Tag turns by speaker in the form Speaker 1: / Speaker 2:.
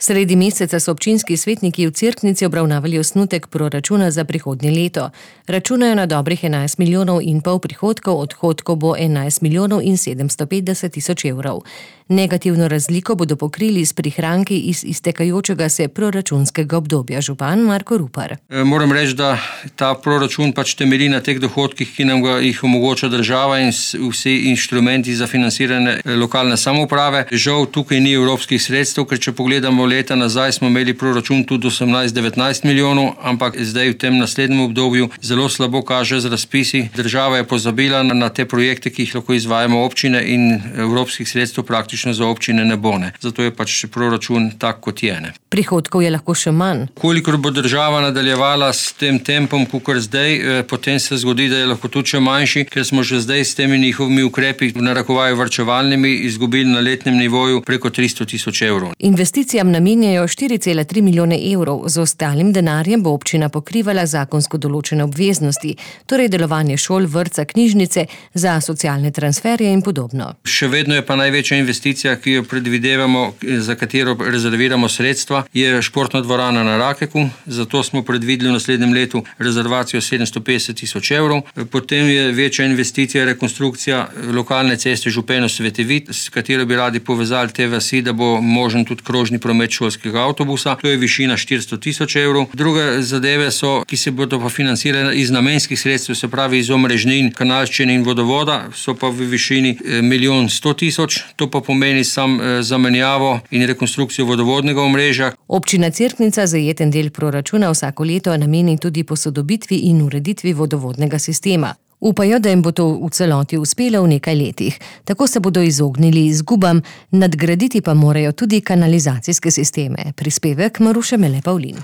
Speaker 1: Sredi meseca so občinski svetniki v Cerknici obravnavali osnutek proračuna za prihodnje leto. Računajo na dobrih 11,5 milijona prihodkov, odhodkov bo 11 milijonov in 750 tisoč evrov. Negativno razliko bodo pokrili s prihranki iz iztekajočega se proračunskega obdobja. Župan Marko Rupar.
Speaker 2: Moram reči, da ta proračun temelji na teh dohodkih, ki nam jih omogoča država in vsi inštrumenti za financiranje lokalne samouprave. Žal tukaj ni evropskih sredstev, ker če pogledamo leta nazaj, smo imeli proračun tudi 18-19 milijonov, ampak zdaj v tem naslednjem obdobju zelo slabo kaže z razpisi. Država je pozabila na te projekte, ki jih lahko izvajamo občine, in evropskih sredstev praktično za občine ne bo. Zato je proračun tak, kot je.
Speaker 1: Prihodkov je lahko še manj.
Speaker 2: Kolikor bo država nadaljevala s tem tempom, kakor zdaj, potem se zgodi, da je lahko tudi še manjši, ker smo že zdaj s temi njihovimi ukrepi, v narekovaju varčevalnimi, izgubili na letnem nivoju preko 300 tisoč evrov.
Speaker 1: Investicijam namenjajo 4,3 milijone evrov, z ostalim denarjem bo občina pokrivala zakonsko določene obveznosti, torej delovanje šol, vrtca, knjižnice, za socialne transferje in podobno.
Speaker 2: Še vedno je pa največja investicija, ki jo predvidevamo, za katero rezerviramo sredstva, je športna dvorana na Rakeku. Zato smo predvideli v naslednjem letu rezervacijo 750 tisoč evrov. Potem je večja investicija, rekonstrukcija lokalne ceste Župeno-Svetevit, s katero bi radi povezali te vasi, da bo možen tudi krožni promet šolskega avtobusa. To je višina 400 tisoč evrov. Druge zadeve so, ki se bodo pa financirane iz namenskih sredstev, se pravi iz omrežnin, kanalščine in vodovoda, so pa v višini 1 100 000. To pa pomeni zamenjavo in rekonstrukcijo vodovodnega omrežja.
Speaker 1: Občina Cerknica zajeten del proračuna vsako leto nameni tudi posodobitvi in ureditvi vodovodnega sistema. Upajo, da jim bo to v celoti uspelo v nekaj letih. Tako se bodo izognili izgubam, nadgraditi pa morajo tudi kanalizacijske sisteme. Prispevek Maruše Mele Pavlin.